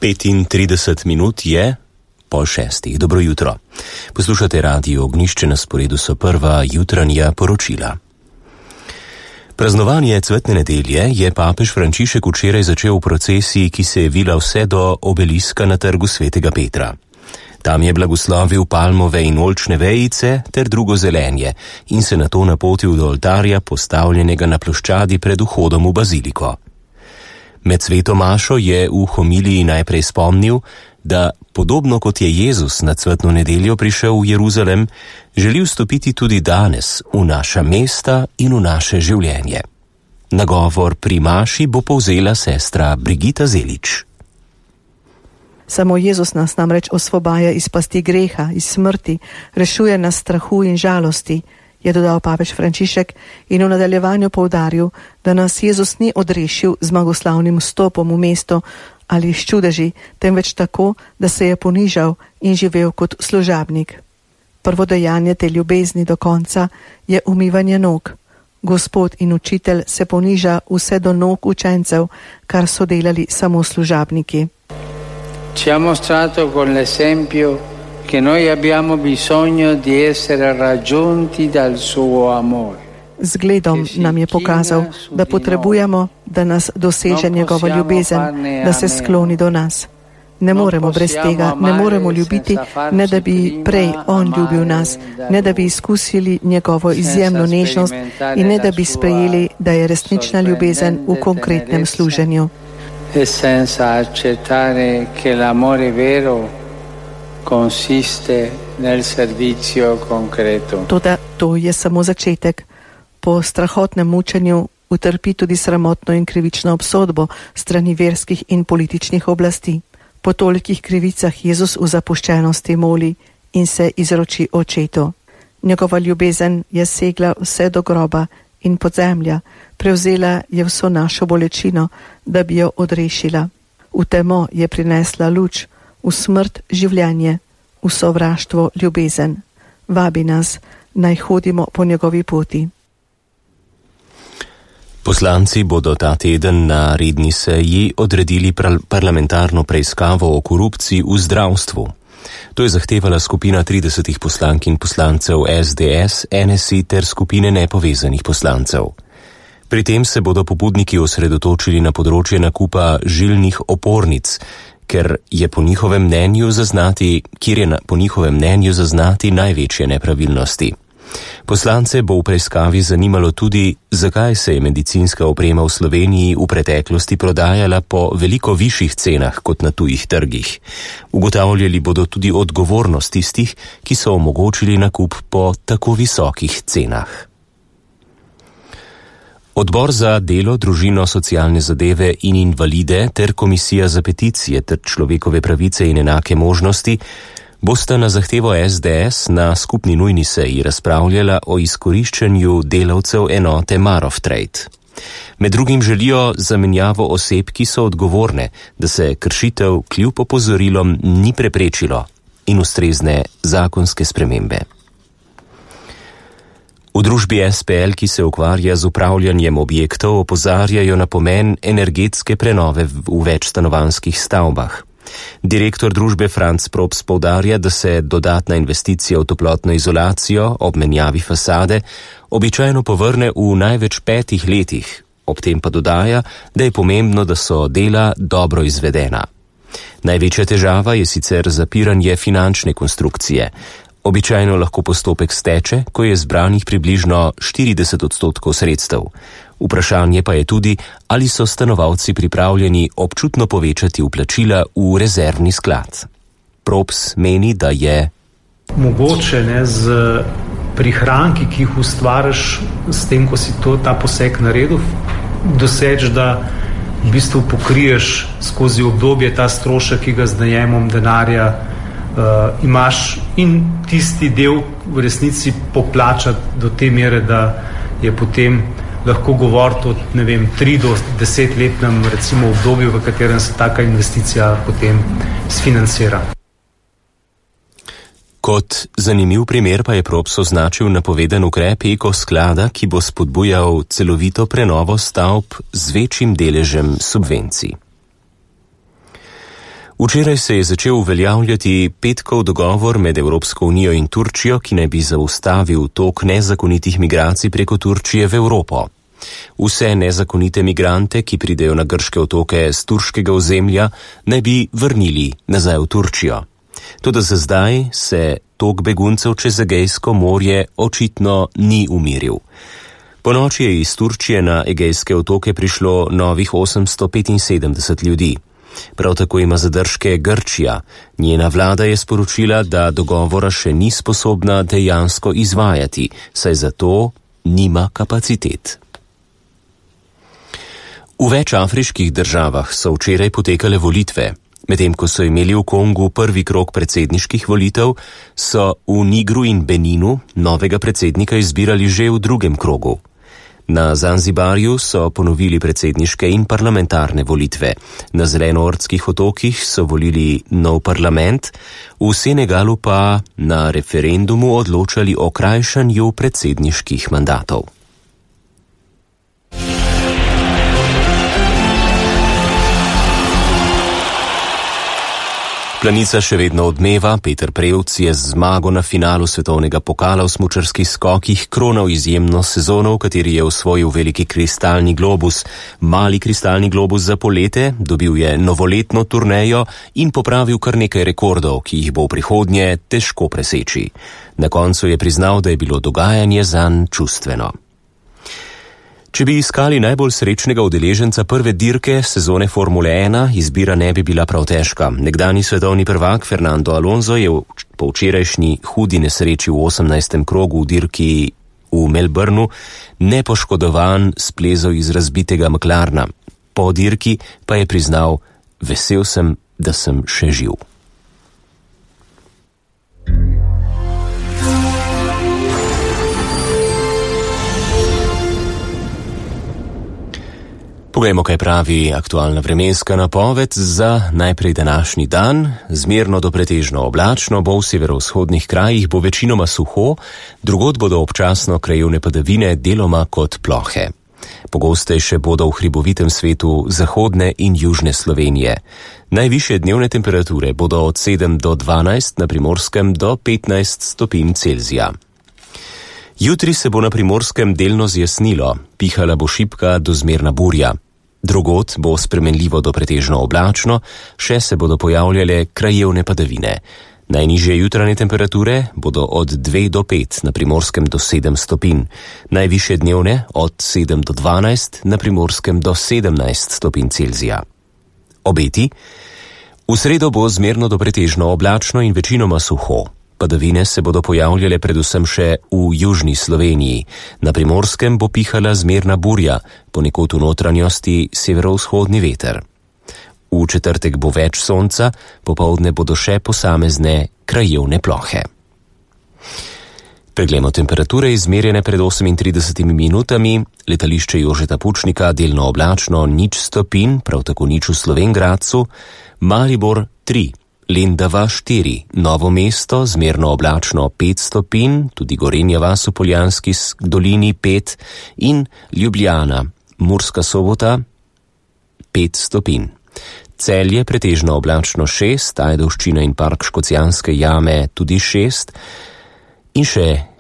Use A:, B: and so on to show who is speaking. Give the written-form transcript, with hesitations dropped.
A: 35 minut je pol šestih. Dobro jutro. Poslušate Radio Ognjišče, na sporedu so prva jutranja poročila. Praznovanje cvetne nedelje je papež Frančišek včeraj začel v procesiji, ki se je vila vse do obeliska na trgu svetega Petra. Tam je blagoslovil palmove in oljčne vejice ter drugo zelenje in se nato napotil do oltarja, postavljenega na ploščadi pred vhodom v baziliko. Med sveto mašo je v homiliji najprej spomnil, da podobno kot je Jezus na cvetno nedeljo prišel v Jeruzalem, želi vstopiti tudi danes v naša mesta in v naše življenje. Nagovor pri maši bo povzela sestra Brigita Zelič.
B: Samo Jezus nas namreč osvobaja iz pasti greha, iz smrti, rešuje nas strahu in žalosti, je dodal papež Frančišek in v nadaljevanju poudaril, da nas Jezus ni odrešil z zmagoslavnim vstopom v mesto ali s čudeži, temveč tako, da se je ponižal in živel kot služabnik. Prvo dejanje te ljubezni do konca je umivanje nog. Gospod in učitelj se poniža vse do nog učencev, kar so delali samo služabniki.
C: Ci ha mostrato con l'esempio che noi abbiamo bisogno di essere raggiunti dal suo amore.
B: Zgledom nam je pokazal, da potrebujemo, da nas doseže njegova ljubezen, da se skloni do nas. Ne moremo brez tega, ne moremo ljubiti, ne da bi prej on ljubil nas, ne da bi izkusili njegovo izjemno nežnost in ne da bi sprejeli, da je resnična ljubezen v konkretnem služenju.
C: E senza accettare che l'amore vero consiste nel servizio concreto.
B: Toda to je samo začetek. Po strahotnem mučenju utrpi tudi sramotno in krivično obsodbo strani verskih in političnih oblasti. Po tolikih krivicah Jezus v zapuščenosti moli in se izroči očetu. Njegova ljubezen je segla vse do groba in podzemlja, prevzela je vso našo bolečino, da bi jo odrešila. V temo je prinesla luč, v smrt življenje, v sovraštvo ljubezen. Vabi nas, naj hodimo po njegovi poti.
A: Poslanci bodo ta teden na redni seji odredili parlamentarno preiskavo o korupciji v zdravstvu. To je zahtevala skupina 30 poslank in poslancev SDS, NSI ter skupine nepovezanih poslancev. Pri tem se bodo pobudniki osredotočili na področje nakupa žilnih opornic, kjer je po njihovem mnenju zaznati največje nepravilnosti. Poslance bo v preiskavi zanimalo tudi, zakaj se je medicinska oprema v Sloveniji v preteklosti prodajala po veliko višjih cenah kot na tujih trgih. Ugotavljali bodo tudi odgovornost tistih, ki so omogočili nakup po tako visokih cenah. Odbor za delo, družino, socialne zadeve in invalide ter Komisija za peticije ter človekove pravice in enake možnosti bosta na zahtevo SDS na skupni nujni seji razpravljala o izkoriščanju delavcev enote Marof Trade. Med drugim želijo zamenjavo oseb, ki so odgovorne, da se kršitev kljub opozorilom ni preprečilo, in ustrezne zakonske spremembe. V družbi SPL, ki se ukvarja z upravljanjem objektov, opozarjajo na pomen energetske prenove v večstanovanjskih stavbah. Direktor družbe Franc Props poudarja, da se dodatna investicija v toplotno izolacijo ob menjavi fasade običajno povrne v največ 5 letih, ob tem pa dodaja, da je pomembno, da so dela dobro izvedena. Največja težava je sicer zapiranje finančne konstrukcije. Običajno lahko postopek steče, ko je zbranih približno 40% sredstev. Vprašanje pa je tudi, ali so stanovalci pripravljeni občutno povečati vplačila v rezervni sklad. Props meni, da je
D: mogoče z prihranki, ki jih ustvariš s tem, ko si ta poseg naredil, doseč, da v bistvu pokriješ skozi obdobje ta strošek, ki ga z najemom denarja imaš, in tisti del v resnici poplačati do te mere, da je potem lahko govoriti o 3 do 10 letnem recimo obdobju, v katerem se taka investicija potem sfinancira.
A: Kot zanimiv primer pa je Props označil napovedan ukrep Eko-sklada, ki bo spodbujal celovito prenovo stavb z večjim deležem subvencij. Včeraj se je začel uveljavljati petkov dogovor med Evropsko unijo in Turčijo, ki naj bi zaustavil tok nezakonitih migracij preko Turčije v Evropo. Vse nezakonite migrante, ki pridejo na grške otoke z turškega ozemlja, naj bi vrnili nazaj v Turčijo. Toda za zdaj se tok beguncev čez Egejsko morje očitno ni umiril. Ponoči je iz Turčije na Egejske otoke prišlo novih 875 ljudi. Prav tako ima zadržke Grčija. Njena vlada je sporočila, da dogovora še ni sposobna dejansko izvajati, saj zato nima kapacitet. V več afriških državah so včeraj potekale volitve. Medtem ko so imeli v Kongu prvi krog predsedniških volitev, so v Nigru in Beninu novega predsednika izbirali že v drugem krogu. Na Zanzibarju so ponovili predsedniške in parlamentarne volitve. Na Zelenoortskih otokih so volili nov parlament, v Senegalu pa na referendumu odločali o krajšanju predsedniških mandatov. Planica še vedno odmeva, Peter Prevc je z zmago na finalu svetovnega pokala v smučarskih skokih kronal izjemno sezono, v kateri je osvojil veliki kristalni globus. Mali kristalni globus za polete, dobil je novoletno turnejo in popravil kar nekaj rekordov, ki jih bo v prihodnje težko preseči. Na koncu je priznal, da je bilo dogajanje zanj čustveno. Če bi iskali najbolj srečnega udeleženca prve dirke sezone Formule 1, izbira ne bi bila prav težka. Nekdanji svetovni prvak Fernando Alonso je po včerajšnji hudi nesreči v 18. krogu v dirki v Melbourneu nepoškodovan splezal iz razbitega McLarena. Po dirki pa je priznal: vesel sem, da sem še živ. Poglejmo, kaj pravi aktualna vremenska napoved za najprej današnji dan. Zmerno do pretežno oblačno bo v severovzhodnih krajih, bo večinoma suho, drugod bodo občasno krajevne padavine, deloma kot plohe. Pogostejše bodo v hribovitem svetu zahodne in južne Slovenije. Najvišje dnevne temperature bodo od 7 do 12, na Primorskem do 15 stopinj Celzija. Jutri se bo na Primorskem delno zjasnilo, pihala bo šibka do zmerna burja. Drugod bo spremenljivo do pretežno oblačno, še se bodo pojavljale krajevne padavine. Najnižje jutranje temperature bodo od 2 do 5, na Primorskem do 7 stopinj. Najvišje dnevne od 7 do 12, na Primorskem do 17 stopinj Celzija. Obeti? V sredo bo zmerno do pretežno oblačno in večinoma suho. Padavine se bodo pojavljale predvsem še v južni Sloveniji. Na Primorskem bo pihala zmerna burja, ponekod v notranjosti severovzhodni veter. V četrtek bo več sonca, popoldne bodo še posamezne krajevne plohe. Preglejmo temperature izmerjene pred 38 minutami. Letališče Jožeta Pučnika delno oblačno 0 stopinj, prav tako 0 v Slovenj Gradcu, Maribor 3. Lendava 4, Novo mesto zmerno oblačno 5 stopinj, tudi Gorenja vas v Poljanski dolini 5 in Ljubljana, Murska Sobota 5 stopinj. Celje pretežno oblačno 6, Ajdovščina in park Škocjanske jame tudi 6 in še